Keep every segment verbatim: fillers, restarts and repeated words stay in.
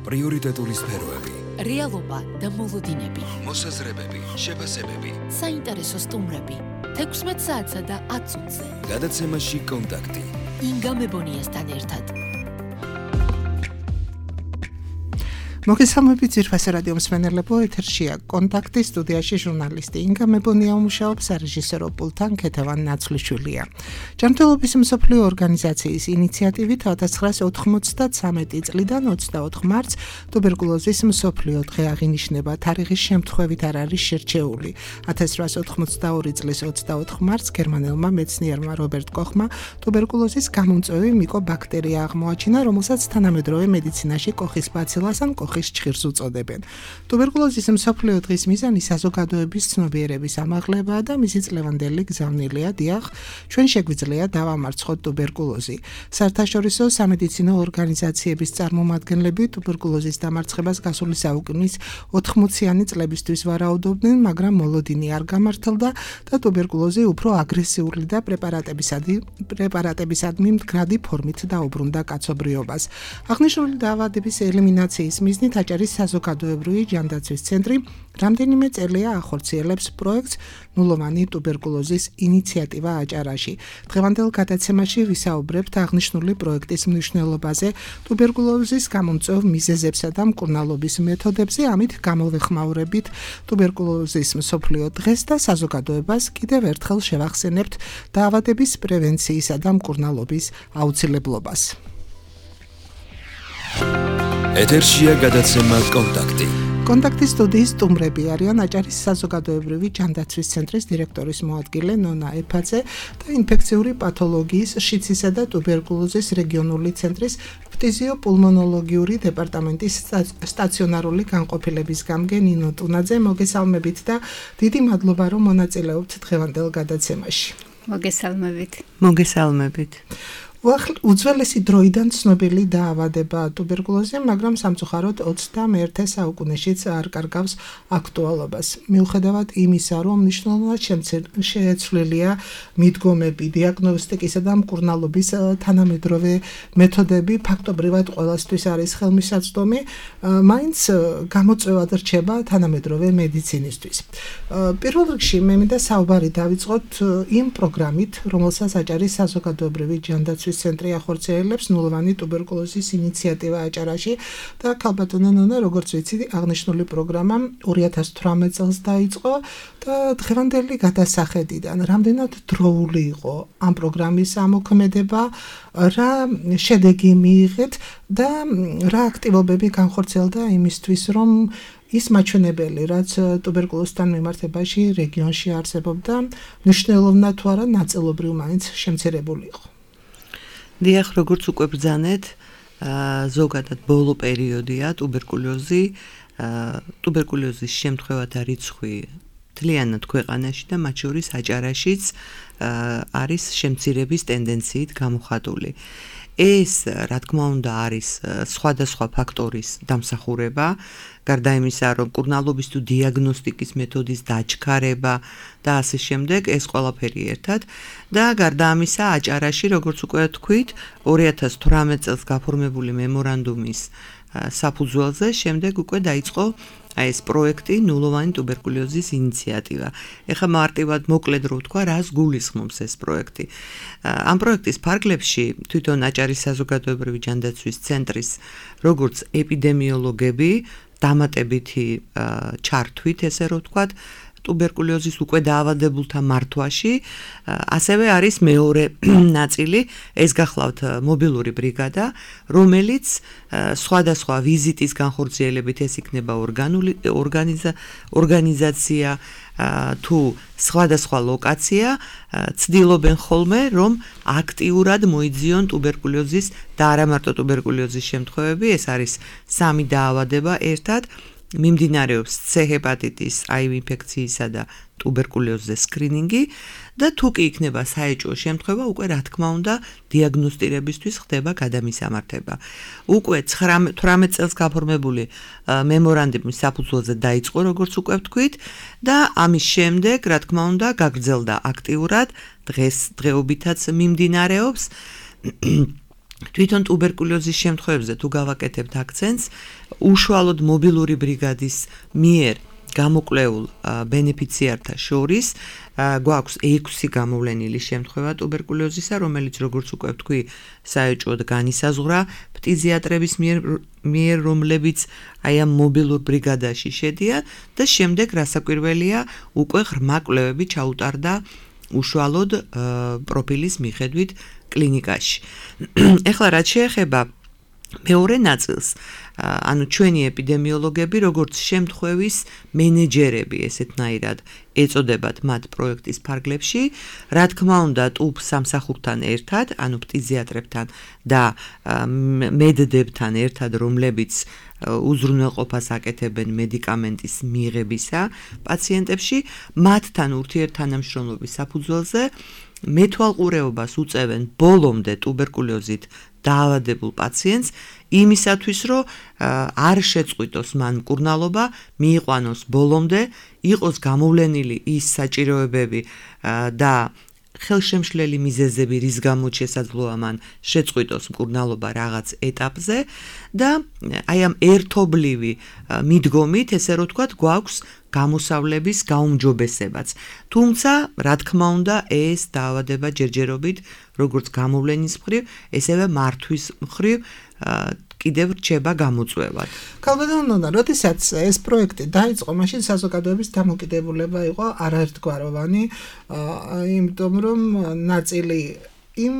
პრიორიტეტული სფეროები, რეალობა და მოლოდინები, მოსაზრებები, შეფასებები, საინტერესო სტუმრები, თექვსმეტ საათსა და ათ წუთზე. გადაცემაში კონტაქტი. ინგა მებონიასთან ერთად. მოგესალმებით ძირფასი რადიო მსმენელებო, ეთერშია კონტაქტი, სტუდიაში ჟურნალისტი ინგა მებონია უმუშაობს, სარეჟისორო პულტთან ქეთევან ნაცვლიშვილია. ჯანმრთელობის მსოფლიო ორგანიზაციის ინიციატივით ოთხ ათას ოცდამეტი წლიდან ოცდაოთხ მარტს ტუბერკულოზის მსოფლიო დღე აღინიშნება. თარიღის შემთხვევით არ არის შერჩეული. ათას რვაასი ოცდაორი წლის ოცდაოთხ მარტს გერმანელმა მეცნიერმა რობერტ კოხმა ტუბერკულოზის გამომწვევი მიკობაქტერია აღმოაჩინა, რომელსაც თანამედროვე მედიცინაში კოხის ბაცილას ან კოხის ჭხირს უწოდებენ. ტუბერკულოზის მსოფლიო დღის მიზანი საზოგადოების ცნობიერების ამაღლებაა და მისი წლევანდელი გზავნილია. დიახ, ჩვენ შეგვიძლია დავამარცხოთ ტუბერკულოზი. საერთაშორისო სამედიცინო ორგანიზაციების წარმომადგენლები ტუბერკულოზის დამარცხებას გასული საუკუნის ოთხმოციანი წლებისთვის ვარაუდობდნენ, მაგრამ მოლოდინი არ გამართლდა და ტუბერკულოზი უფრო აგრესიული და პრეპარატებისადმი მდგრადი ფორმით დაუბრუნდა კაცობრიობას. აღნიშნული დაავადების ელიმინაციის მიზნით აჭარის საზოგადოებრივი ჯანდაცვის ცენტრი რამდენიმე წელია ახორციელებს პროექტს ნულოვანი ტუბერკულოზის ინიციატივა აჭარაში. დღევანდელ გადაცემაში ვისაუბრებთ აღნიშნული პროექტის მნიშვნელობაზე, ტუბერკულოზის გამომწვევ მიზეზებსა და მკურნალობის მეთოდებზე, ამით გამოვეხმაურებით ტუბერკულოზის მსოფლიო დღეს და საზოგადოებას კიდევ ერთხელ შევახსენებთ დაავადების პრევენციისა და მკურნალობის აუცილებლობას. ეთერშია გადაცემა კონტაქტი. კონტაქტის სტუდიის სტუმრები არიან აჭარის საზოგადოებრივი ჯანდაცვის ცენტრის დირექტორის მოადგილე ნონა ეფაძე და ინფექციური პათოლოგიის, შიცისა და ტუბერკულოზის რეგიონული ცენტრის ფტიზიოპულმონოლოგიური დეპარტამენტის სტაციონარული განყოფილების გამგე ნინო ტუნაძე. მოგესალმებით და დიდი მადლობა, რომ მონაწილეობთ დღევანდელ გადაცემაში. მოგესალმებით. მოგესალმებით. უძველესი დროიდან ცნობილი დაავადება ტუბერკულოზი, მაგრამ სამწუხაროდ ოცდამეერთე საუკუნეშიც არ კარგავს აქტუალობას. მიუხედავად იმისა, რომ მნიშვნელოვნად შეცვლილია მიდგომები, დიაგნოსტიკისა და მკურნალობის თანამედროვე მეთოდები, ფაქტობრივად ყველასთვის არის ხელმისაწვდომი, მაინც გამოწვევად რჩება თანამედროვე მედიცინისთვის. პირველ რიგში მე მინდა საუბარი დავიწყოთ იმ პროგრამით, რომელსაც აჭარის საზოგადოებრივი ჯანდაცვის ცენტრი ახორციელებს ნულოვანი ტუბერკულოზის ინიციატივა აჭარაში და ქალბატონო ნონა, როგორც ვიცი, აღნიშნული პროგრამა ორი ათას თვრამეტ წელს დაიწყო და დღევანდელი გადასახედიდან რამდენად დროული იყო ამ პროგრამის ამოქმედება, რა შედეგი მიიღეთ და რა აქტივობები განხორციელდა იმისთვის, რომ ის მაჩვენებელი, რაც ტუბერკულოზთან მიმართებაში რეგიონში არსებობდა, მნიშვნელოვნად თუ არა ნაწილობრივ მაინც შემცირებული იყო. დიახ, როგორც უკვე ბრძანეთ, ზოგადად ბოლო პერიოდია ტუბერკულოზი, ტუბერკულოზის შემთხვევათა რიცხვი მთლიანად ქვეყანაში და მათ შორის აჭარაშიც არის შემცირების ტენდენციით გამოხატული. ეს, რა თქმა უნდა, არის სხვადასხვა ფაქტორის დამსახურება, გარდა იმისა, რომ მკურნალობის თუ დიაგნოსტიკის მეთოდის დაჩქარება და ასე შემდეგ, ეს ყველაფერი ერთად და გარდა ამისა, აჭარაში, როგორც უკვე თქვით, ორი ათას თვრამეტ წელს გაფორმებული მემორანდუმის საფუძველზე შემდეგ უკვე დაიწყო ეს პროექტი ნულოვანი ტუბერკულოზის ინიციატივა. ეხლა მარტივად მოკლედ რო ვთქვა, რას გულისხმობს ეს პროექტი. ამ პროექტის ფარგლებში თვითონ აჭარის საზოგადოებრივი ჯანდაცვის ცენტრის როგორც ეპიდემიოლოგები დამატებითი ჩართვით, ესე რო ვთქვათ, ტუბერკულოზის უკვე დაავადებულთა მართვაში, ასევე არის მეორე ნაწილი, ეს გახლავთ მობილური ბრიგადა, რომელიც სხვადასხვა ვიზიტის განხორციელებით, ეს იქნება ორგანიზაცია თუ სხვადასხვა ლოკაცია, ცდილობენ ხოლმე, რომ აქტიურად მოიძიონ ტუბერკულოზის და არა მარტო ტუბერკულოზის შემთხვევები, ეს არის სამი დაავადება ერთად, მიმდინარეობს C ჰეპატიტის, აივ ინფექციისა და ტუბერკულოზის სკრინინგი და თუ კი იქნება საეჭვო შემთხვევა, უკვე რა თქმა უნდა დიაგნოსტირებისთვის ხდება გადამისამართება. უკვე თვრამეტ წელს გაფორმებული მემორანდუმის საფუძველზე დაიწყო, როგორც უკვე ვთქვით, და ამის შემდეგ, რა თქმა უნდა, გაგრძელდა აქტიურად, დღეს დღეობითაც მიმდინარეობს. თვითონ ტუბერკულოზის შემთხვევებზე თუ გავაკეთებთ აქცენტს, უშუალოდ მობილური ბრიგადის მიერ გამოკვლეულ ბენეფიციართა შორის გვაქვს ექვსი გამოვლენილი შემთხვევა ტუბერკულოზისა, რომელიც როგორც უკვე ვთქვი, საეჭვოდ განისაზღვრა ფტიზიატრების მიერ, მიერ რომლებიც აი ამ მობილურ ბრიგადაში შედიან და შემდეგ რასაკვირველია, უკვე ღრმა კვლევები ჩაუტარდა უშუალოდ პროფილის მიხედვით კლინიკაში. ეხლა რაც შეეხება მეორე ნაწილს, ანუ ჩვენი ეპიდემიოლოგები, როგორც შემთხვევის მენეჯერები, ესეთნაირად ეწოდებათ მათ პროექტის ფარგლებში, რა თქმა უნდა, ტუბ სამსახურთან ერთად, ანუ ფტიზიატრებთან და მედდებთან ერთად, რომლებიც უზრუნველყოფას აკეთებენ მედიკამენტის მიღებისა პაციენტებში, მათთან ურთიერთთანამშრომლობის საფუძველზე მეთვალყურეობას უწევენ ბოლომდე ტუბერკულოზით დაავადებულ პაციენტს იმისათვის, რომ არ შეწყვიტოს მან მკურნალობა, მიიყვანოს ბოლომდე, იყოს გამოვლენილი ის საჭიროებები და ხელშემშლელი მიზეზები, რის გამოც შესაძლოა მან შეწყვიტოს მკურნალობა რაღაც ეტაპზე და აი ამ ერთობლივი მიდგომით, ესე რომ ვთქვათ, გვაქვს გამოსავლების გაუმჯობესებაც. თუმცა, რა თქმა უნდა, ეს დაავადება ჯერჯერობით, როგორც გამოვლენის მხრივ, ესევე მართვის მხრივ კიდევ რჩება გამოწვევად. ქალბატონო, როდესაც ეს პროექტი დაიწყო, მაშინ საზოგადოების დამოკიდებულება იყო არაერთგვაროვანი, იმიტომ რომ ნაწილი იმ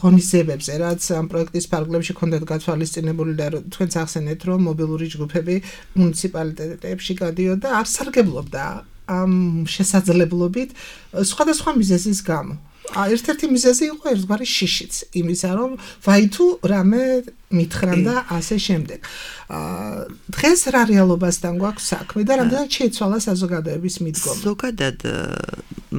ღონისძიებებზე, რაც ამ პროექტის ფარგლებში ჰქონდათ გათვალისწინებული და თქვენც ახსენეთ, რომ მობილური ჯგუფები მუნიციპალიტეტებში გადიოდა, არ სარგებლობდა ამ შესაძლებლობით სხვადასხვა მიზეზის გამო. ერთ-ერთი მიზეზი იყო ერთგვარი შიშიც, იმისა რომ ვაი თუ რამე მითხრან და ასე შემდეგ. დღეს რა რეალობასთან გვაქვს საქმე და რამდენად შეიცვალა საზოგადოების მიდგომა? ზოგადად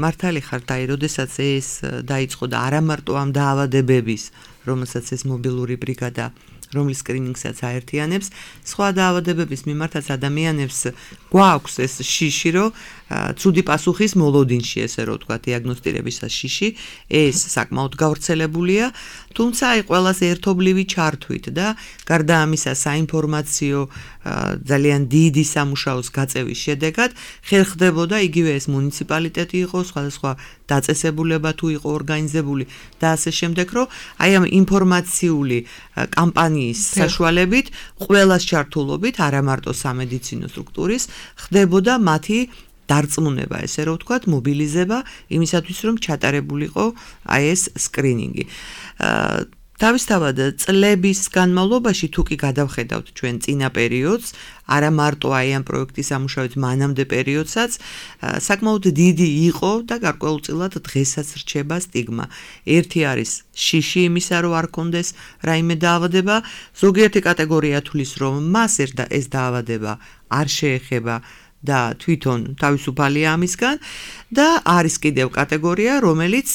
მართალი ხართ, აი, როდესაც ეს დაიწყო და არა მარტო ამ დაავადებების, რომელსაც ეს მობილური ბრიგადა რომლის სკრინინგსაც აერთიანებს, სხვა დაავადებების მიმართაც ადამიანებს გვაქვს ეს შიში, რომ ცუდი პასუხის მოლოდინში, ესე რომ ვთქვათ, დიაგნოსტირებისას შიში, ეს საკმაოდ გავრცელებულია, თუმცა აი ყველას ერთობლივი ჩართვით და გარდა ამისა საინფორმაციო ძალიან დიდი სამუშაოს გაწევის შედეგად ხერხდებოდა იგივე ეს მუნიციპალიტეტი იყო, სხვადასხვა დაწესებულება თუ იყო ორგანიზებული და ასე შემდეგ, რომ აი ამ ინფორმაციული კამპანიის საშუალებით ყველას ჩართულობით, არა მარტო სამედიცინო სტრუქტურის, ხდებოდა მათი დარწმუნება, ესე რომ ვთქვათ, მობილიზება იმისათვის, რომ ჩატარებულიყო აი ეს სკრინინგი. თავისთავად წლების განმავლობაში თუ კი გადავხედავთ ჩვენ წინა პერიოდს, არა მარტო აი ამ პროექტის სამუშაოების მანამდე პერიოდსაც, საკმაოდ დიდი იყო და გარკვეულწილად დღესაც რჩება სტიგმა. ერთი არის შიში იმისა, რომ არ კონდეს რაიმე დაავადება, ზოგიერთი კატეგორია თulis, რომ მას ეს დაავადება არ შეეხება და თვითონ თავისუფალია ამისგან და არის კიდევ კატეგორია, რომელიც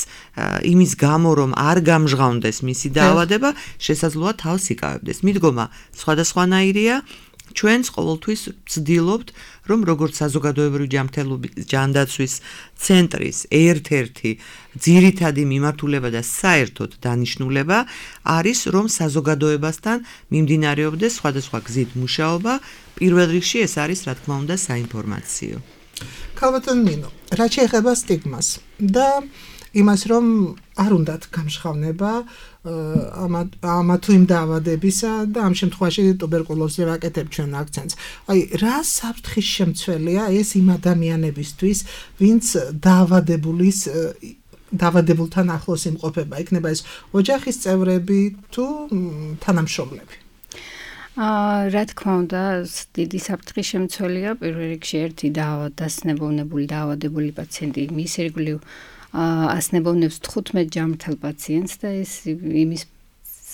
იმის გამო, რომ არ გამჟღავნდეს მისი დაავადება, შესაძლოა თავს იკავებდეს. მიდგომა სხვადასხვანაირია. ჩვენს ყოველთვის ვცდილობთ, რომ როგორც საზოგადოებრივი ჯანმრთელობის ჯანდაცვის ცენტრის ერთ-ერთი ძირითადი მიმართულება და საერთოდ დანიშნულება არის, რომ საზოგადოებასთან მიმდინარეობდეს სხვადასხვა გზით მუშაობა. პირველ რიგში ეს არის, რა თქმა უნდა, საინფორმაციო. ქალბატონ ნინო, რაც შეეხება სტიგმას და იმას, რომ არ უნდათ გამჟღავნება ამა თუ იმ დაავადებისა და ამ შემთხვევაში ტუბერკულოზზე ვაკეთებ ჩვენ აქცენტს. აი, რა საფრთხის შემცველია ეს იმ ადამიანებისთვის, ვინც დაავადებულის დაავადებულთან ახლოს იმყოფება, იქნება ეს ოჯახის წევრები თუ თანამშრომლები? აა რა თქმა უნდა, დიდი საფრთხის შემცველია პირველ რიგში ერთი დასნებოვნებული დაავადებული პაციენტი, მის ირგვლივ ასნებოვნებს თხუთმეტ ჯანმრთელ პაციენტს და ეს იმის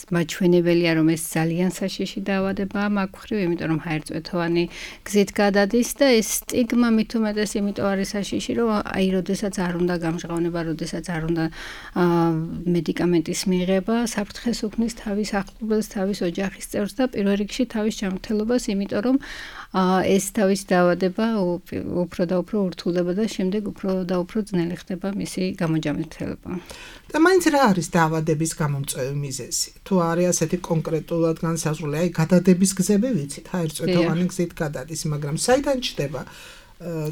მაჩვენებელია, რომ ეს ძალიან საშიში დაავადებაა მაგ მხრივ, იმიტომ რომ ჰაერწვეთოვანი გზით გადადის და ეს სტიგმა მით უმეტეს იმიტომ არის საშიში, რომ აი როდესაც არ უნდა გამჟღავნება, როდესაც არ უნდა მედიკამენტის მიღება, საფრთხეს უქმნის თავის ახლობელს, თავის ოჯახის წევრს და პირველ რიგში თავის ჯანმრთელობას, იმიტომ რომ ეს თავის დაავადება უფრო და უფრო ურთულდება და შემდეგ უფრო და უფრო ძნელი ხდება მისი გამოჯანმრთელება. და მაინც რა არის დაავადების გამომწვევი მიზეზი? თუ არის ასეთი კონკრეტულად განსაზღვრული, აი გადადების გზები ვიცით, ჰაერწვეთოვანი გზით გადადის, მაგრამ საიდან ჩდება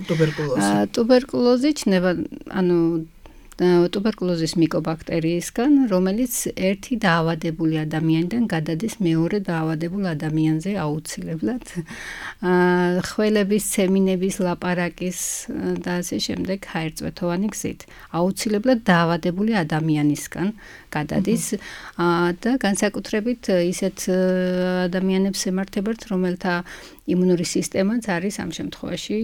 ტუბერკულოზი? ტუბერკულოზი ჩნდება, ანუ ტუბერკულოზის მიკობაქტერიისგან, რომელიც ერთი დაავადებული ადამიანიდან გადადის მეორე დაავადებულ ადამიანზე აუცილებლად. ხველების, ცემინების, ლაპარაკის და ასე შემდეგ ჰაერწვეთოვანი გზით. აუცილებლად დაავადებული ადამიანისგან გადადის და განსაკუთრებით ისეთ ადამიანებს ემართებათ, რომელთა იმუნური სისტემაც არის ამ შემთხვევაში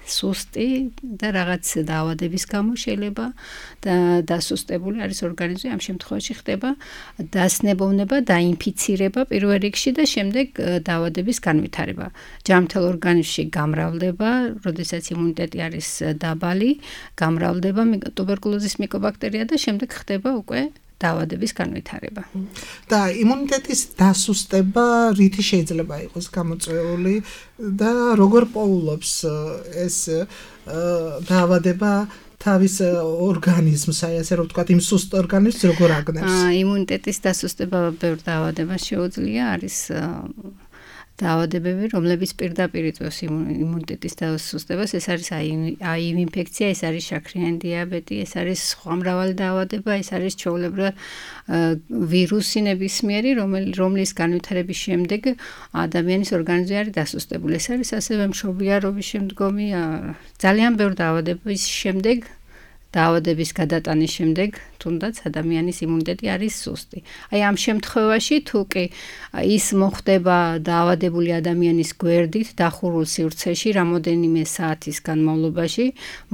სუსტი და რაღაც დაავადების გამო შეიძლება და დასუსტებული არის ორგანიზმი, ამ შემთხვევაში ხდება დასნებოვნება, დაინფიცირება პირველ რიგში და შემდეგ დაავადების განვითარება. ჯანმრთელ ორგანიზმში გამრავლდება, როდესაც იმუნიტეტი არის დაბალი, გამრავლდება ტუბერკულოზის მიკობაქტერია და შემდეგ ხდება უკვე დაავადების განვითარება. და იმუნიტეტის დასუსტება რითი შეიძლება იყოს გამოწვეული და როგორ პოულობს ეს დაავადება თავის ორგანიზმს, აი ასე რომ ვთქვათ, იმ სუსტ ორგანიზმს როგორ აგნებს? იმუნიტეტის დასუსტება ბევრ დაავადებას შეუძლია, არის დაავადებები, რომლებიც პირდაპირ იწვევს იმუნიტეტის დასუსტებას, ეს არის აი იმ ინფექცია, ეს არის შაქრიანი დიაბეტი, ეს არის სხვა მრავალი დაავადება, ეს არის ჩვეულებრივად ვირუსი ნებისმიერი, რომლის განვითარების შემდეგ ადამიანის ორგანიზმი არის დასუსტებული. ეს არის ასევე მშობიარობის შემდგომი ძალიან ბევრ დაავადების შემდეგ დაავადების გადატანის შემდეგ თუნდაც ადამიანის იმუნიტეტი არის სუსტი. აი ამ შემთხვევაში თუ კი ის მოხდება დაავადებული ადამიანის გვერდით დახურულ სივრცეში რამოდენიმე საათის განმავლობაში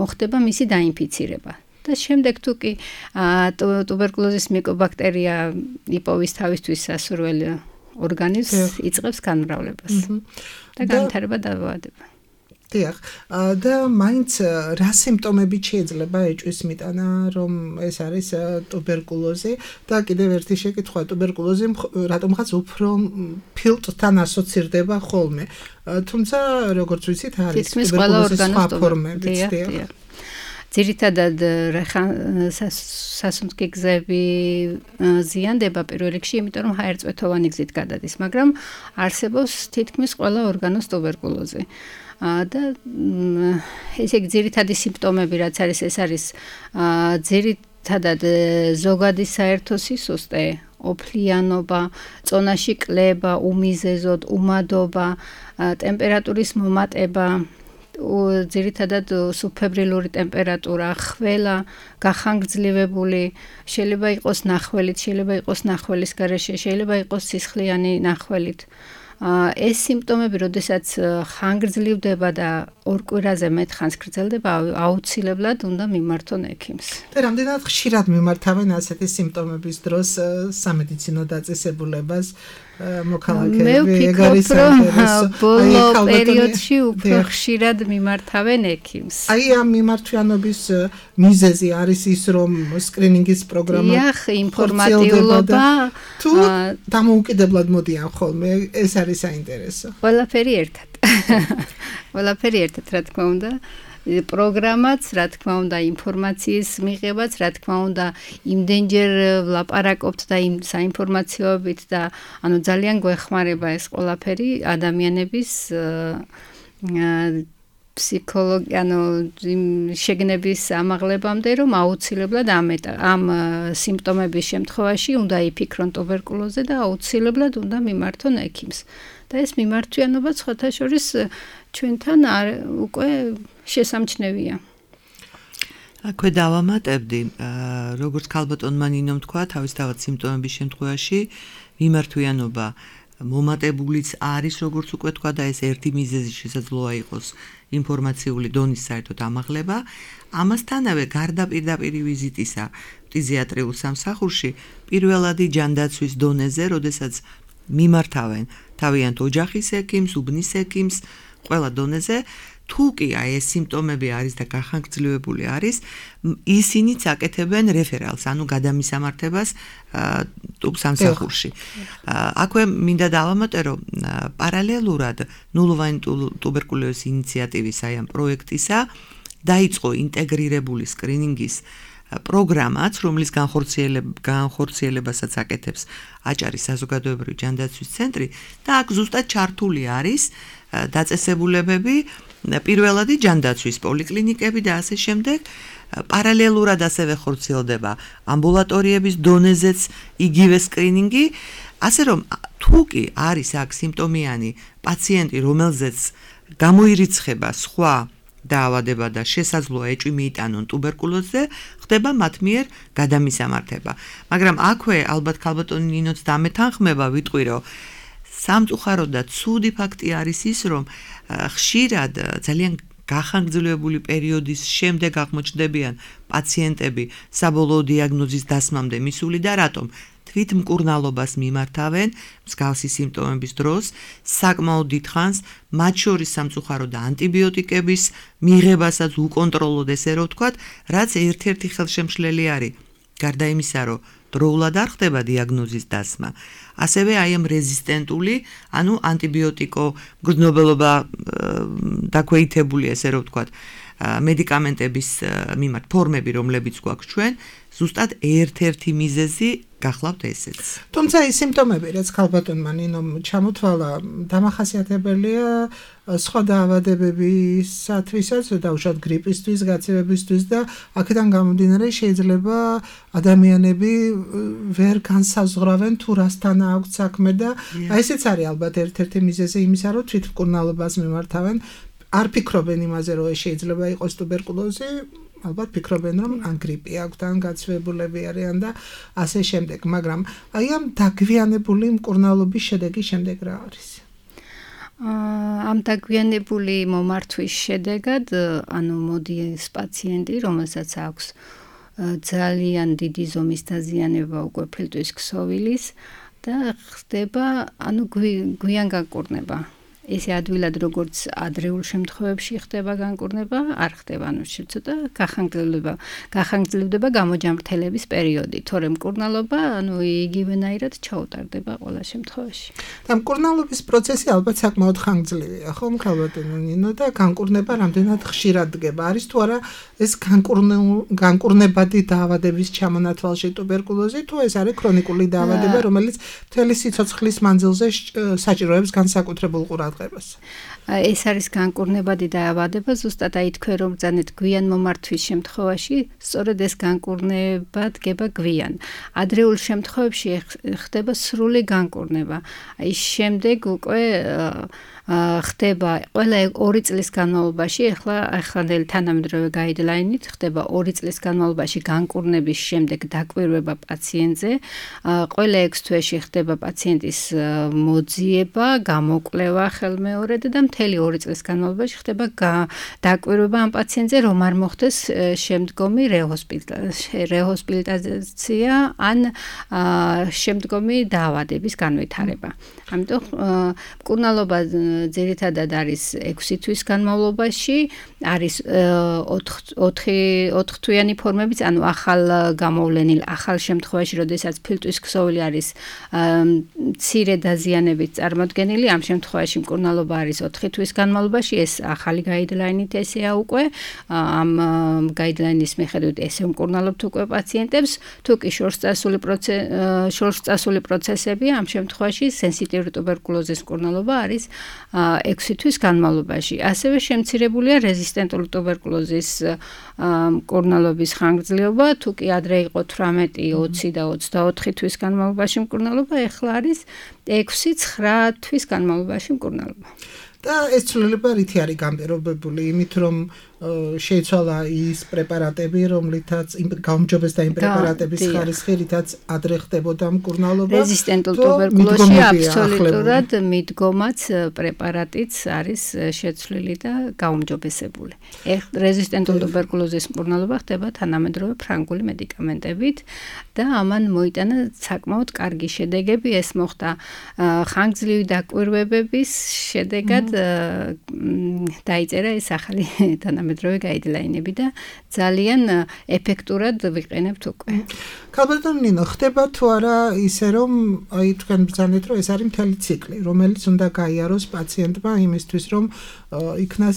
მოხდება მისი დაინფიცირება. და შემდეგ თუ კი ტუბერკულოზის მიკობაქტერია იპოვის თავისთვის სასურველ ორგანიზმს იწყებს განმავლობას და განვითარება დაავადება. დიახ, და მაინც რა სიმპტომებით შეიძლება ეჭვის მიტანა, რომ ეს არის ტუბერკულოზი და კიდევ ერთი შეკითხვა, ტუბერკულოზი რატომღაც უფრო ფილტვთან ასოცირდება ხოლმე. თუმცა როგორც ვიცით, არის ტუბერკულოზის სხვა ფორმებიც, დიახ. ძირითადად სასუნთქი გზები ზიანდება პირველ რიგში, იმიტომ რომ ჰაერწვეთოვანი გზით გადადის, მაგრამ არსებობს თითქმის ყველა ორგანოს ტუბერკულოზი. და ესე იგი ძირითადი სიმპტომები რაც არის, ეს არის ძირითადად ზოგადი საერთო სისუსტე, ოფლიანობა, წონაში კლება, უმიზეზოდ, უმადობა, ტემპერატურის მომატება, ძირითადად სუბფებრილური ტემპერატურა, ხველა, გახანგრძლივებული, შეიძლება იყოს ნახველით, შეიძლება იყოს ნახველის გარეშე, შეიძლება იყოს სისხლიანი ნახველით. ეს სიმპტომები, როდესაც ხანგრძლივდება და ორ კვირაზე მეტ ხანს გრძელდება, აუცილებლად უნდა მიმართონ ექიმს. და რამდენად ხშირად მიმართავენ ასეთი სიმპტომების დროს სამედიცინო დაწესებულებას მოქალაქეები, ეგ არის საინტერესო. ბოლო პერიოდში უფრო ხშირად მიმართავენ ექიმს. აი ამ მიმართვიანობის მიზეზი არის ის, რომ სკრინინგის პროგრამა იახ, ინფორმატიულობა თუ დამოუკიდებლად მოდიან ხოლმე, ეს არის საინტერესო. ყველაფერი ერთად. ყველაფერი ერთად, რა თქმა უნდა. პროგრამაც, რა თქმა უნდა, ინფორმაციის მიღებაც, რა თქმა უნდა, იმდენჯერ ვლაპარაკობთ და იმ საინფორმაციოებით და ანუ ძალიან გვეხმარება ეს ყველაფერი ადამიანების ფსიქოლოგი, ანუ შეგნების ამაღლებამდე, რომ აუცილებლად ამ ამ სიმპტომების შემთხვევაში უნდა იფიქრონ ტუბერკულოზზე და აუცილებლად უნდა მიმართონ ექიმს. და ეს მიმართვიანობა სხვათა შორის ჩვენთან უკვე შესამჩნევია. აქვე დავამატებდი, როგორც ქალბატონმა ნინომ თქვა, თავისთავად სიმპტომების შემთხვევაში მიმართვიანობა მომატებულიც არის, როგორც უკვე თქვა და ეს ერთი მიზეზი შესაძლოა იყოს ინფორმაციული დონის საერთოდ ამაღლება. ამასთანავე გარდა პირდაპირი ვიზიტისა ფტიზიატრიულ სამსახურში, პირველადი ჯანდაცვის დონეზე, როდესაც მიმართავენ თავიანთ ოჯახის ექიმს, უბნის ექიმს, ყველა დონეზე, თუ კი აი ეს სიმპტომები არის და გახანგრძლივებული არის, ისინიც აკეთებენ რეფერალს, ანუ გადამისამართებას ტუბ სამსახურში. აქვე მინდა დავამატე, რომ პარალელურად ნულოვანი ტუბერკულოზის ინიციატივის აი ამ პროექტისა დაიწყო ინტეგრირებული სკრინინგის პროგრამაც, რომლის განხორციელებასაც აკეთებს აჭარის საზოგადოებრივი ჯანდაცვის ცენტრი და აქ ზუსტად ჩართული არის დაწესებულებები პირველადი ჯანდაცვის პოლიკლინიკები და ასე შემდეგ. პარალელურად ასევე ხორციელდება ამბულატორიების დონეზეც იგივე სკრინინგი, ასე რომ თუ კი არის აქ სიმპტომიანი პაციენტი, რომელზეც გამოირიცხება სხვა დაავადება და შესაძლოა ეჭვი მიიტანონ ტუბერკულოზზე, ხდება მათ მიერ გადამისამართება. მაგრამ აქვე ალბათ ქალბატონი ნინოც დამეთანხმება, ვიტყვი რომ სამწუხაროდ და ცუდი ფაქტი არის ის, რომ ხშირად ძალიან გახანგრძლივებული პერიოდის შემდეგ აღმოჩნდებიან პაციენტები საბოლოო დიაგნოზის დასმამდე მისული და რატომ თვით მკურნალობას მიმართავენ მსგავსი სიმპტომების დროს საკმაოდ დიდხანს, მათ შორის სამწუხაროდ და ანტიბიოტიკების მიღებასაც უკონტროლოდ ესე რომ ვთქვათ, რაც ერთ-ერთი ხელშემშლელი არის. გარდა იმისა, რომ დროულად არ ხდება დიაგნოზის დასმა, ასევე აი ამ რეზისტენტული, ანუ ანტიბიოტიკო მგრძნობელობა დაქვეითებული, ესე რომ ვთქვათ, მედიკამენტების მიმართ ფორმები, რომლებიც გვაქვს ჩვენ, ზუსტად ერთ-ერთი მიზეზი გახლავთ ესეც. თუმცა ის სიმპტომები, რაც ქალბატონმა ნინომ ჩამოთვალა, დამახასიათებელია სხვა დაავადებებისათვისაც, დაუშვათ გრიპისთვის, გაცივებისთვის და აქედან გამომდინარე შეიძლება ადამიანები ვერ განსაზღვრავენ თუ რასთან აქვს საქმე და აი ესეც არის ალბათ ერთ-ერთი მიზეზი იმისა, რომ თვითმკურნალობას მიმართავენ, არ ფიქრობენ იმაზე, რომ შეიძლება იყოს ტუბერკულოზი, ალბათ ფიქრობენ, რომ ან გრიპი აქვს, ან გაცივებულები არიან და ასე შემდეგ, მაგრამ აი ამ დაგვიანებული მკურნალობის შედეგი შემდეგ რა არის? ამ დაგვიანებული მომართვის შედეგად, ანუ მოდის პაციენტი, რომელსაც აქვს ძალიან დიდი ზომის დაზიანება უკვე ფილტვის ქსოვილის და ხდება, ანუ გვიან განკურნება. ესე ადვილად როგორც ადრეულ შემთხვევებში ხდება განკურნება, არ ხდება, ანუ ცოტა გახანგრძლივდება, გახანგრძლივდება გამოჯამრთელების პერიოდი, თორემ მკურნალობა, ანუ იგივენაირად ჩაუტარდება ყველა შემთხვევაში. და მკურნალობის პროცესი ალბათ საკმაოდ ხანგრძლივია, ხო, ქალბატონო ნინო და განკურნება რამდენად ხშირად დგება? არის თუ არა ეს განკურნებადი დაავადების ჩამონათვალში ტუბერკულოზი, თუ ეს არის ქრონიკული დაავადება, რომელიც მთელი სიცოცხლის მანძილზე საჭიროებს განსაკუთრებულ ყურადღებას? ეს არის განკურნებადი დაავადება, ზუსტად აი თქვენ რომ ბრძანეთ გვიან მომართვის შემთხვევაში, სწორედ ეს განკურნება დგება გვიან. ადრეულ შემთხვევებში ხდება სრული განკურნება. აი შემდეგ უკვე ხდება ყველა ორი წლის განმავლობაში, ახლა ახალ თანამედროვე გაიდლაინით ხდება ორი წლის განმავლობაში განკურნების შემდეგ დაკვირვება პაციენტზე. ყველა ექვს თვეში ხდება პაციენტის მოძიება, გამოკვლევა ხელმეორედ და მთელი ორი წლის განმავლობაში ხდება დაკვირვება ამ პაციენტზე, რომ არ მოხდეს შემდგომი რეჰოსპიტალიზაცია ან შემდგომი დაავადების განვითარება. ამიტომ მკურნალობა ძირითადად არის ექვსი თვის განმავლობაში, არის ოთხ თვიანი ფორმებიც, ანუ ახალ გამოვლენილ ახალ შემთხვევაში, როდესაც ფილტვის ქსოვილი არის მცირე დაზიანებით წარმოდგენილი, ამ შემთხვევაში მკურნალობა არის ოთხი თვის განმავლობაში, ეს ახალი გაიდლაინით ესეა უკვე, ამ გაიდლაინის მიხედვით ესე მკურნალობთ უკვე პაციენტებს, თუ კი შორს წასული პროცესები, ამ შემთხვევაში სენსიტიური ტუბერკულოზის მკურნალობა არის ექვსი თვის განმავლობაში. ასევე შემცირებულია რეზისტენტული ტუბერკულოზის მკურნალობის ხანგრძლივობა, თუ კი ადრე იყო თვრამეტი, ოცი და ოცდაოთხი თვის განმავლობაში მკურნალობა, ეხლა არის ექვსი ცხრა თვის განმავლობაში მკურნალობა. და ეს ცვლილება რითი არის განპირობებული? იმით რომ შეიცვალა ის პრეპარატები, რომლითაც გაუმჯობეს და იმ პრეპარატების ხარისხი, რითაც ადრე ხდებოდა მკურნალობა. რეზისტენტულ ტუბერკულოზში აბსოლუტურად მიდგომაც პრეპარატიც არის შეცვლილი და გაუმჯობესებული. რეზისტენტულ ტუბერკულოზის მკურნალობა ხდება თანამედროვე ფრანგული მედიკამენტებით და ამან მოიტანა საკმაოდ კარგი შედეგები. ეს მოხდა ხანგრძლივი დაკვირვებების შედეგად დაიწერა ეს ახალი თანამედროვე გაიდლაინები და ძალიან ეფექტურად ვიყენებთ უკვე. ქალბატონო ნინო, ხდება თუ არა ისე რომ აი თქვენ ბრძანეთ რომ ეს არის მთელი ციკლი, რომელიც უნდა გაიაროს პაციენტმა იმისთვის რომ იქნას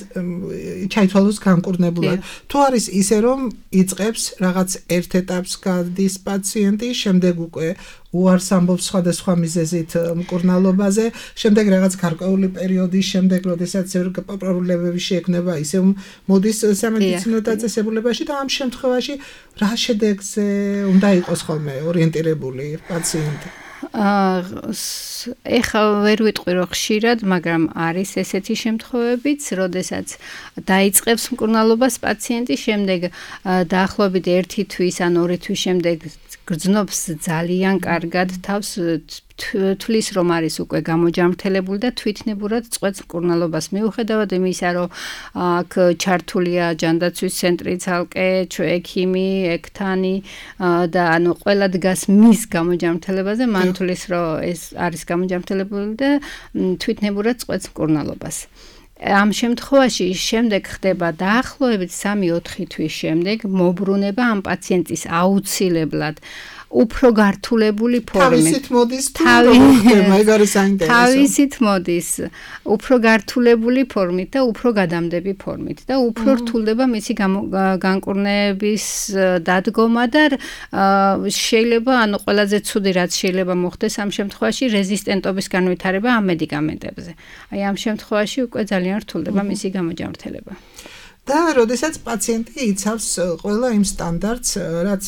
ჩაითვალოს განკურნებულად. თუ არის ისე რომ იწყებს რაღაც ერთ ეტაპს გადის პაციენტი, შემდეგ უკვე უარს ამბობს სხვადასხვა მიზეზით მკურნალობაზე, შემდეგ რაღაც გარკვეული პერიოდის შემდეგ, როდესაც პრობლემები შეექმნება, ისე მოდის სამედიცინო დაწესებულებაში და ამ შემთხვევაში რა შედეგზე უნდა იყოს ხოლმე ორიენტირებული პაციენტი? ეხლა ვერ ვიტყვი რომ ხშირად, მაგრამ არის ესეთი შემთხვევებიც, როდესაც დაიწყებს მკურნალობას პაციენტი, შემდეგ დაახლოებით ერთი თვის ან ორი თვის შემდეგ გრძნობს ძალიან კარგად თავს, თვლის რომ არის უკვე გამოჯამრთელებული და თვითნებურად წყვეტს მკურნალობას. მიუხედავად იმისა, რომ აქ ჩართულია ჯანდაცვის ცენტრი ცალკე, ექიმი, ექთანი და ანუ ყველა დგას მის გამოჯამრთელებაზე, მან თვლის რომ ეს არის გამოჯამრთელებული და თვითნებურად წყვეტს მკურნალობას. ამ შემთხვევაში შემდეგ ხდება დაახლოებით სამი ოთხი თვის შემდეგ მობრუნება ამ პაციენტის აუცილებლად უფრო გართულებული ფორმით. თავისით მოდის თუ როგორ ხდება, ეგ არის საინტერესო. თავისით მოდის უფრო გართულებული ფორმით და უფრო გადამდები ფორმით და უფრო რთულდება მისი განკურნების დადგომა და შეიძლება ანუ ყველაზე ცუდი რაც შეიძლება მოხდეს ამ შემთხვევაში რეზისტენტობის განვითარება ამ მედიკამენტებზე. აი ამ შემთხვევაში უკვე ძალიან რთულდება მისი გამოჯამრთელება. და როდესაც პაციენტი იცავს ყველა იმ სტანდარტს, რაც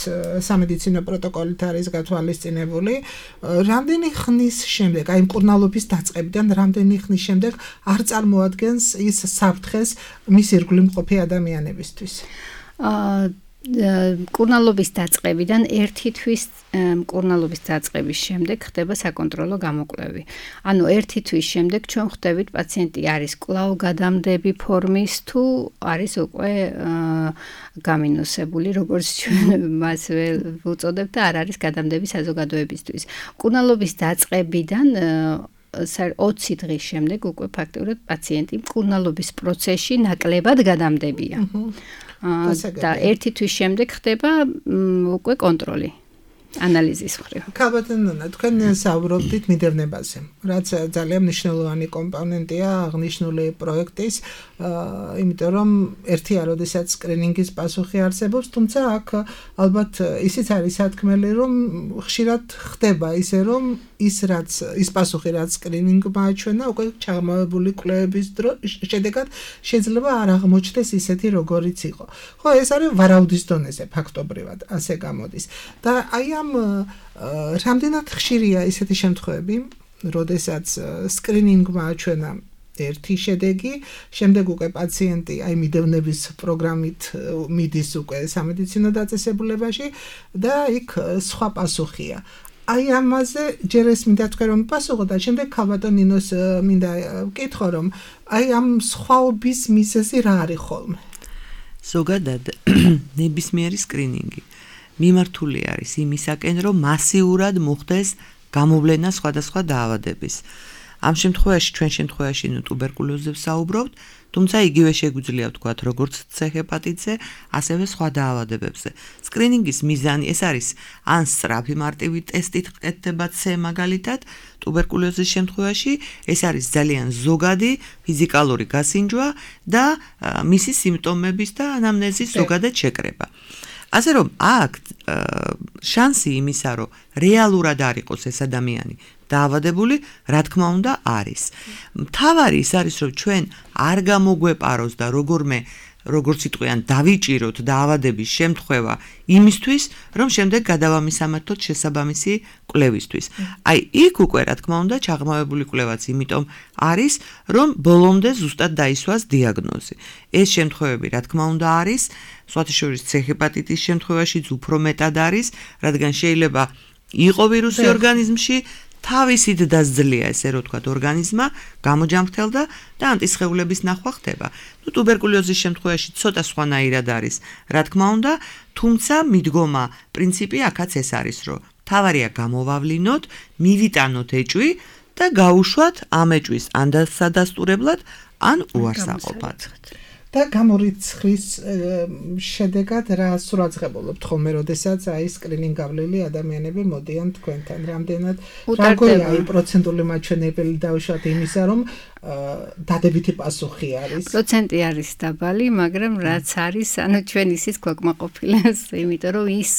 სამედიცინო პროტოკოლით არის გათვალისწინებული, რამდენი ხნის შემდეგ, აი მკურნალობის დაწყებიდან რამდენი ხნის შემდეგ არ წარმოადგენს ის საფრთხეს მის ირგვლივ მყოფი ადამიანებისთვის? აა მკურნალობის დაწყებიდან ერთი თვის მკურნალობის დაწყების შემდეგ ხდება საკონტროლო გამოკვლევი. ანუ ერთი თვის შემდეგ ჩვენ ხვდებით პაციენტი არის კვლავ გადამდები ფორმის თუ არის უკვე გამინუსებული, როგორც ჩვენ მას ვუწოდებთ და არ არის გადამდები საზოგადოებისთვის. მკურნალობის დაწყებიდან ოცი დღის შემდეგ უკვე ფაქტობრივად პაციენტი მკურნალობის პროცესში ნაკლებად გადამდებია. და ერთი თვის შემდეგ ხდება უკვე კონტროლი ანალიზის მხრივ. ქალბატონო, თქვენ საუბრობდით მიდევნებაზე, რაც ძალიან მნიშვნელოვანი კომპონენტია აღნიშნული პროექტის, იმიტომ რომ ერთია, როდესაც სკრინინგის პასუხი არსებობს, თუმცა აქ ალბათ ისიც არის სათქმელი, რომ ხშირად ხდება ისე, რომ ის რაც ის პასუხი, რაც სკრინინგმა აჩვენა, უკვე ჩაღრმავებული კვლევების შედეგად შეიძლება არ აღმოჩნდეს ისეთი, როგორიც იყო. ხო, ეს არის ვარაუდის დონეზე ფაქტობრივად, ასე გამოდის. და აი ამ რამდენად ხშირია ისეთი შემთხვევები, როდესაც სკრინინგმა აჩვენა ერთი შედეგი, შემდეგ უკვე პაციენტი აი მიდევნების პროგრამით მიდის უკვე სამედიცინო დაწესებულებაში და იქ სხვა პასუხია. აი ამაზე ჯერ ეს მინდა თქვენ რომ პასუხო და შემდეგ ქალბატონ ნინოს მინდა ვკითხო რომ აი ამ სხვაობის მიზეზი რა არის ხოლმე? ზოგადად ნებისმიერი სკრინინგი მიმართული არის იმისაკენ, რომ მასიურად მოხდეს გამოვლენა სხვადასხვა დაავადების. ამ შემთხვევაში, ჩვენ შემთხვევაში ნუ ტუბერკულოზზე ვსაუბრობთ, თუმცა იგივე შეგვიძლია ვთქვათ, როგორც C ჰეპატიტზე, ასევე სხვა დაავადებებზე. სკრინინგის მიზანი ეს არის ან სწრაფი მარტივი ტესტით ყეთდება C მაგალითად, ტუბერკულოზის შემთხვევაში ეს არის ძალიან ზოგადი ფიზიკალური გასინჯვა და მისი სიმპტომების და ანამნეზის ზოგადად შეკრება. ასე რომ აქ შანსი იმისა, რომ რეალურად არ იყოს ეს ადამიანი დაავადებული, რა თქმა უნდა არის. მთავარი ის არის, რომ ჩვენ არ გამოგვეპაროს და როგორმე როგორც იტყვიან, დავიჭიროთ დაავადების შემთხვევა იმისთვის, რომ შემდეგ გადავამისამართოთ შესაბამისი კვლევისთვის. აი, იქ უკვე რა თქმა უნდა ჩაღრმავებული კვლევაც იმიტომ არის, რომ ბოლომდე ზუსტად დაისვას დიაგნოზი. ეს შემთხვევები რა თქმა უნდა არის, სხვათა შორის C ჰეპატიტის შემთხვევაშიც უფრო მეტად არის, რადგან შეიძლება იყო ვირუსი ორგანიზმში, თავისით დასძლია, ესე რომ ვთქვათ, ორგანიზმმა გამოჯამრთელდა და ანტისხეულების ნახვა ხდება. ნუ ტუბერკულოზის შემთხვევაში ცოტა სხვანაირად არის, რა თქმა უნდა, თუმცა მიდგომა პრინციპი აქაც ეს არის, რომ თავარია გამოვავლინოთ, მივიტანოთ ეჭვი და გაუშვათ ამ ეჭვის ან სადასტურებლად, ან უარსაყოფად. და გამორიცხვის შედეგად რა სურაცხებულობთ ხოლმე, როდესაც აი სკრინინგ გავლილი ადამიანები მოდიან თქვენთან, რამდენად რაგოია აი პროცენტული მაჩვენებელი დავუშვათ იმისა, რომ დადებითი პასუხი არის. პროცენტი არის დაბალი, მაგრამ რაც არის, ანუ ჩვენ ისიც გვაკმაყოფილებს, იმიტომ რომ ის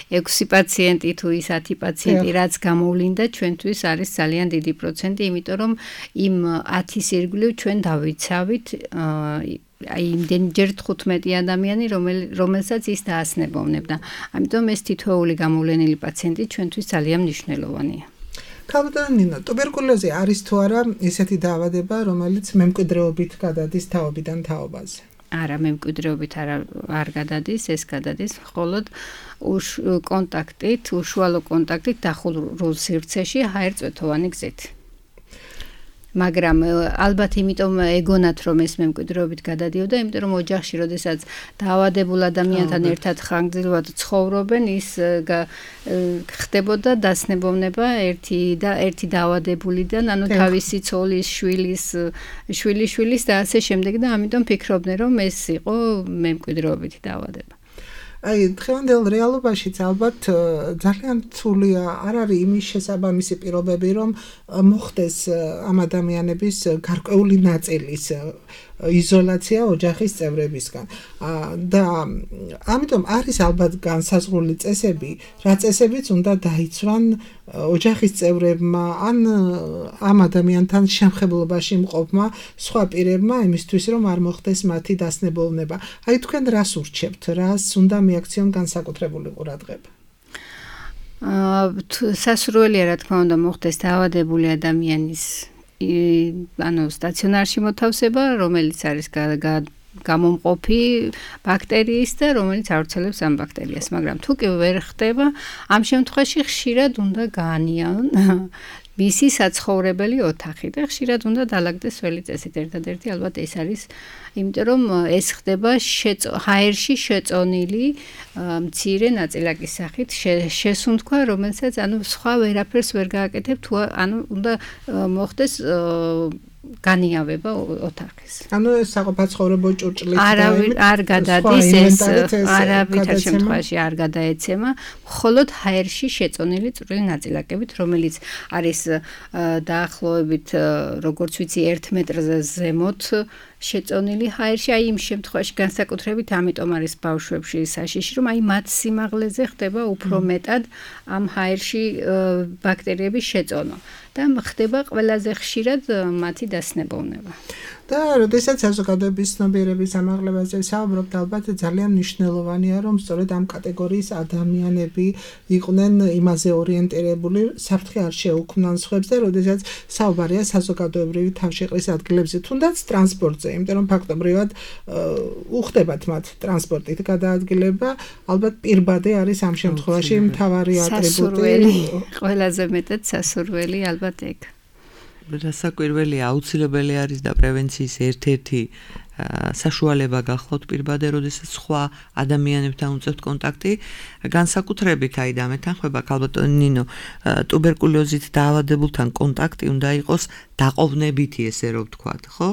ექვსი პაციენტი თუ ის ათი პაციენტი რაც გამოვლინდა, ჩვენთვის არის ძალიან დიდი პროცენტი, იმიტომ რომ იმ ათის ირგვლივ ჩვენ დავიცავით აი იმდენჯერ თხუთმეტი ადამიანი, რომელსაც ის დაასნებოვნებდა. ამიტომ ეს თითოეული გამოვლენილი პაციენტი ჩვენთვის ძალიან მნიშვნელოვანია. ქალბატონო ნინო, ტუბერკულოზი არის თუ არა ესეთი დაავადება, რომელიც მემკვიდრეობით გადადის თაობიდან თაობაზე? არა, მემკვიდრეობით არ არ გადადის, ეს გადადის მხოლოდ კონტაქტით, უშუალო კონტაქტით დახურულ სივრცეში ჰაერწვეთოვანი გზით. მაგრამ ალბათ იმიტომ ეგონათ რომ ეს მემკვიდრეობით გადადიოდა, იმიტომ რომ ოჯახში როდესაც დაავადებულ ადამიანთან ერთად ხანგრძლივად ცხოვრობენ, ის ხდებოდა დასნებოვნება ერთი და ერთი დაავადებულიდან, ანუ თავისი ცოლის, შვილის, შვილიშვილის და ასე შემდეგ და ამიტომ ფიქრობდნენ რომ ეს იყო მემკვიდრეობითი დაავადება. აი დღევანდელ რეალობაშიც ალბათ ძალიან რთულია, არ არის იმის შესაბამისი პირობები, რომ მოხდეს ამ ადამიანების გარკვეული ნაწილის იზოლაცია ოჯახის წევრებისგან. და ამიტომ არის ალბათ განსაზღვრული წესები, რა წესებიც უნდა დაიცვან ოჯახის წევრებმა ან ამ ადამიანთან შემხებლობაში მყოფმა სხვა პირებმა იმისთვის, რომ არ მოხდეს მათი დასნებოვნება. აი თქვენ რას ურჩევთ, რას უნდა მიაქციონ განსაკუთრებული ყურადღება? სასურველია რა თქმა უნდა მოხდეს დაავადებული ადამიანის ანუ სტაციონარში მოთავსება, რომელიც არის გამომყოფი ბაქტერიის და რომელიც ავრცელებს ამ ბაქტერიას, მაგრამ თუ კი ვერ ხდება, ამ შემთხვევაში ხშირად უნდა გაანიონ მისი საცხოვრებელი ოთახი და ხშირად უნდა დაალაგდეს ველი წესით. ერთადერთი ალბათ ეს არის, იმიტომ რომ ეს ხდება ჰაერში შეწონილი მცირე ნაწილაკის სახით შესუნთქვა, რომელსაც ანუ სხვა ვერაფერს ვერ გააკეთებ, თუ ანუ უნდა მოხდეს განიავება ოთახის. ანუ ეს საყოფაცხოვრებო ჭურჭლით არავინ არ გადადის, ეს არავითარ შემთხვევაში არ გადაეცემა, მხოლოდ ჰაერში შეწონილი წვრილი ნაწილაკებით, რომელიც არის დაახლოებით, როგორც ვიცი, ერთ მეტრზე ზემოთ შეწონილი ჰაერში, აი იმ შემთხვევაში განსაკუთრებით ამიტომ არის ბავშვებში საშიში, რომ აი მათ სიმაღლეზე ხდება უფრო მეტად ამ ჰაერში ბაქტერიების შეწონა და ხდება ყველაზე ხშირად მათი დასნებოვნება. და როდესაც საზოგადოების ცნობიერების ამაღლებაზე საუბრობთ, ალბათ ძალიან მნიშვნელოვანია, რომ სწორედ ამ კატეგორიის ადამიანები იყვნენ იმაზე ორიენტირებული, საფრთხე არ შეუქმნან სხვებს და როდესაც საუბარია საზოგადოებრივი თავშეყრის ადგილებზე, თუნდაც ტრანსპორტზე, იმიტომ რომ ფაქტობრივად უხდებათ მათ ტრანსპორტით გადაადგილება, ალბათ პირბადე არის ამ შემთხვევაში მთავარი ატრიბუტი. ყველაზე მეტად სასურველი ალბათ ეგ. რასაკვირველია, აუცილებელი არის და პრევენციის ერთ-ერთი საშუალება გახლავთ პირბადე, როდესაც სხვა ადამიანებთან უწევთ კონტაქტი, განსაკუთრებით აი და მეთანხმება ქალბატონი ნინო, ტუბერკულოზით დაავადებულთან კონტაქტი უნდა იყოს დაყოვნებითი, ესე რომ ვთქვათ, ხო?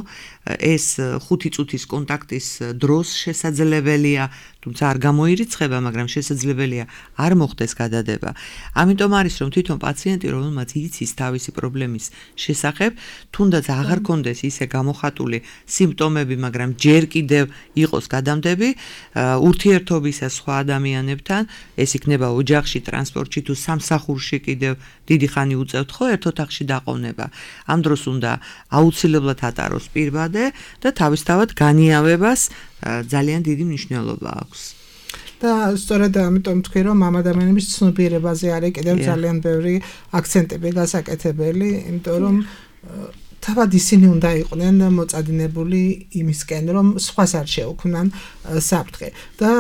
ეს ხუთი წუთის კონტაქტის დროს შესაძლებელია, თუმცა არ გამოირიცხება, მაგრამ შესაძლებელია არ მოხდეს გადადება. ამიტომ არის რომ თვითონ პაციენტი, რომელმაც იცის თავისი პრობლემის შესახებ, თუნდაც აღარ კონდეს ისე გამოხატული სიმპტომები, მაგრამ ჯერ კიდევ იყოს გადამდები, ურთიერთობისა სხვა ადამიანებთან, ეს იქნება ოჯახში, ტრანსპორტში თუ სამსახურში კიდევ დიდი ხანი უწევთ ხო ერთ ოთახში დაყოვნება. ამ დროს უნდა აუცილებლად ატაროს პირბადე და თავისთავად განიავებას ძალიან დიდი მნიშვნელობა აქვს. და სწორედ ამიტომ თქვი რომ ამ ადამიანების ცნობიერებაზე არის კიდევ ძალიან ბევრი აქცენტები გასაკეთებელი, იმიტომ რომ თავად ისინი უნდა იყვნენ მოწადინებული იმისკენ, რომ სხვას არ შეუქმნან საფრთხე. და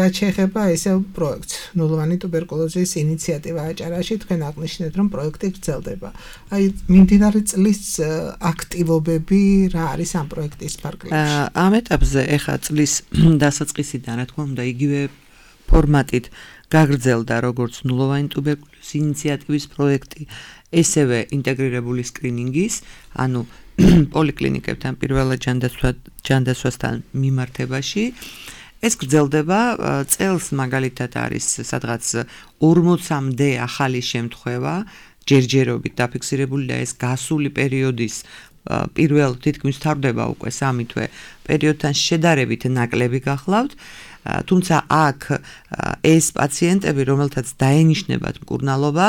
რაც შეეხება ესეო პროექტს, ნულოვანი ტუბერკულოზის ინიციატივა აჭარაში, თქვენ აღნიშნეთ, რომ პროექტი გრძელდება. აი, მიმდინარე წლის აქტივობები რა არის ამ პროექტის ფარგლებში? ამ ეტაპზე ეხა წლის დასაწყისიდან, რა თქმა უნდა, იგივე ფორმატით გაგრძელდა როგორც ნულოვანი ტუბერკულოზის ინიციატივის პროექტი, ესევე ინტეგრირებული სკრინინგის, ანუ პოლიკლინიკებთან პირველად ჯანდაცვასთან მიმართებაში. ეს გრძელდება წელს მაგალითად არის სადღაც ორმოცამდე ახალი შემთხვევა ჯერჯერობით დაფიქსირებული და ეს გასული პერიოდის პირველ თითქმის თარდება უკვე სამი თვე პერიოდთან შედარებით ნაკლები გახლავთ. თუმცა აქ ეს პაციენტები, რომელთაც დაენიშნებათ მკურნალობა,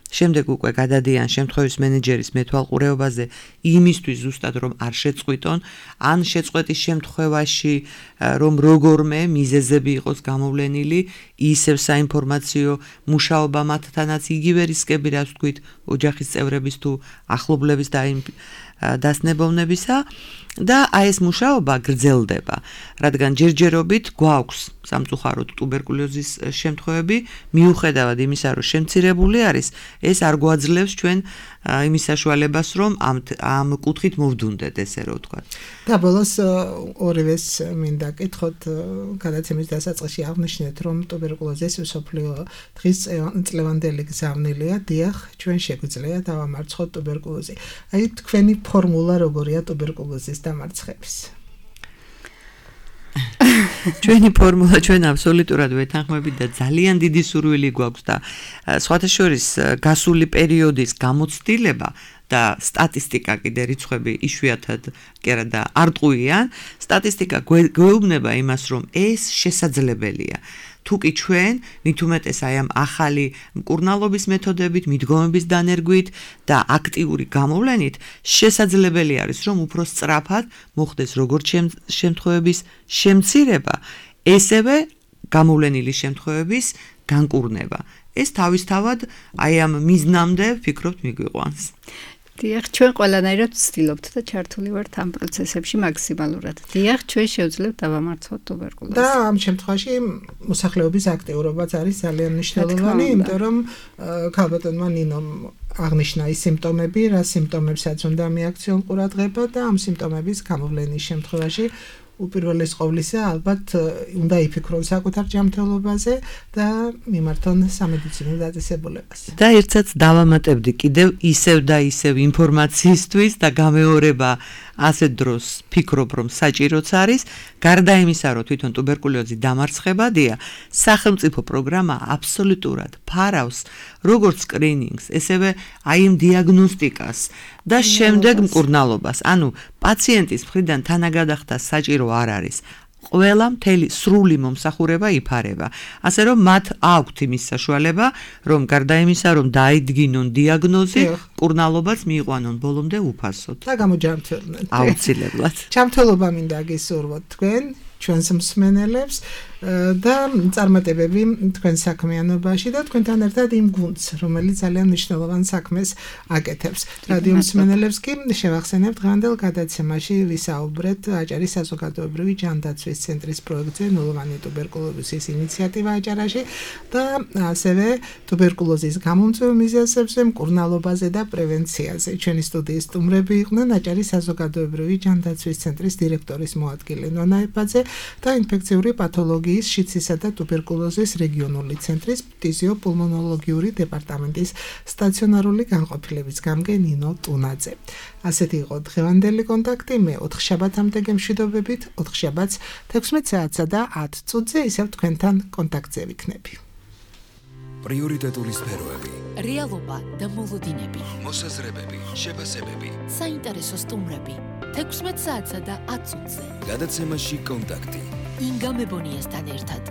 შემდეგ უკვე გადადიან შემთხვევის მენეჯერის მეთვალყურეობაზე იმისთვის ზუსტად რომ არ შეწყვიტონ, ან შეწყვეტის შემთხვევაში რომ როგორმე მიზეზები იყოს გამოვლენილი, ისევ საინფორმაციო მუშაობა მათთანაც იგივე რისკები, რაც ვთქვით, ოჯახის წევრების თუ ახლობლების და იმ დასნებოვნებისა და აი ეს მუშაობა გრძელდება, რადგან ჯერჯერობით გვაქვს სამწუხაროდ ტუბერკულოზის შემთხვევები, მიუხედავად იმისა, რომ შემცირებული არის, ეს არ გვაძლევს ჩვენ იმის საშუალებას, რომ ამ ამ კუთხით მოვდუნდეთ, ესე რომ ვთქვათ. და ბოლოს ორივეს მინდა კითხოთ, გადაცემის დასაწყისში აღნიშნეთ, რომ ტუბერკულოზის მსოფლიო დღის წლევანდელი გზავნილია, დიახ, ჩვენ შეგვიძლია დავამარცხოთ ტუბერკულოზი. აი თქვენი ფორმულა როგორია ტუბერკულოზის დამარცხების? ჩვენი ფორმულა ჩვენ აბსოლუტურად ვეთანხმებით და ძალიან დიდი სურვილი გვაქვს და სხვათა შორის გასული პერიოდის გამოცდილება და სტატისტიკა კიდე რიცხვები იშვიათად კი არა და არტყუიან, სტატისტიკა გვეუბნება იმას, რომ ეს შესაძლებელია. თუკი ჩვენ მით უმეტეს აი ამ ახალი მკურნალობის მეთოდებით, მიდგომების დანერგვით და აქტიური გამოვლენით შესაძლებელი არის, რომ უფრო სწრაფად მოხდეს როგორც შემთხვევების შემცირება, ესევე გამოვლენილი შემთხვევების განკურნება. ეს თავისთავად აი ამ მიზნამდე ვფიქრობთ მიგვიყვანს. დიახ, ჩვენ ყველანაირად ვცდილობთ და ჩართული ვართ ამ პროცესებში მაქსიმალურად. დიახ, ჩვენ შევძლებთ დავამარცხოთ ტუბერკულოზს. და ამ შემთხვევაში მოსახლეობის აქტიურობაც არის ძალიან მნიშვნელოვანი, იმიტომ რომ ქალბატონმა ნინომ აღნიშნა ის სიმპტომები, რა სიმპტომებსაც უნდა მიაქციონ ყურადღება და ამ სიმპტომების გამოვლენის შემთხვევაში უპირველეს ყოვლისა ალბათ უნდა იფიქრონ საკუთარ ჯანმრთელობაზე და მიმართონ სამედიცინო დაწესებულებაზე. და ერთსაც დავამატებდი კიდევ ისევ და ისევ ინფორმაციისთვის და გამეორება ასეთ დროს ფიქრობ რომ საჭიროც არის, გარდა იმისა რომ თვითონ ტუბერკულოზი დამარცხებადია, სახელმწიფო პროგრამა აბსოლუტურად ფარავს როგორც სკრინინგს, ესევე აი იმ დიაგნოსტიკას და შემდეგ მკურნალობას. ანუ პაციენტის მხრიდან თანაგადახდა საჭირო არ არის. ყველა მთელი სრული მომსახურება იფარება. ასე რომ მათ აქვთ იმის საშუალება, რომ გარდა იმისა, რომ დაიდგინონ დიაგნოზი, მკურნალობაც მიიყვანონ ბოლომდე უფასოდ. და გამოჯანმრთელდნენ. აუცილებლად. ჯანმრთელობა მინდა გისურვოთ თქვენ, ჩვენს მსმენელებს და წარმატებები თქვენ საქმიანობაში და თქვენთან ერთად იმ გუნდს, რომელიც ძალიან მნიშვნელოვან საქმეს აკეთებს. რადიო მსმენელებს კი შევახსენებთ დღევანდელ გადაცემაში ვისაუბრეთ აჭარის საზოგადოებრივი ჯანდაცვის ცენტრის პროექტზე ნულოვანი ტუბერკულოზის ინიციატივა აჭარაში და ასევე ტუბერკულოზის გამომწვევ მიზეზებზე, მკურნალობაზე და პრევენციაზე. ჩვენი სტუდიის სტუმრები იყვნენ აჭარის საზოგადოებრივი ჯანდაცვის ცენტრის დირექტორის მოადგილე ნონა ეფაძე და ინფექციური პათოლოგიის შიცისა და ტუბერკულოზის რეგიონული ცენტრის ფტიზიოპულმონოლოგიური დეპარტამენტის სტაციონარული განყოფილების გამგე ნინო ტუნაძე. ასეთი იყო დღევანდელი კონტაქტი. მე ოთხშაბათამდე გემშვიდობებით, ოთხშაბათს თექვსმეტ საათსა და ათ წუთზე ისევ თქვენთან კონტაქტზე ვიქნები. პრიორიტეტული სფეროები, რეალობა და მოლოდინები, მოსაზრებები, შეფასებები, საინტერესო სტუმრები. თექვსმეტ საათსა და ათ წუთზე. გადაცემაში კონტაქტი. ინგა მებონიასთან ერთად.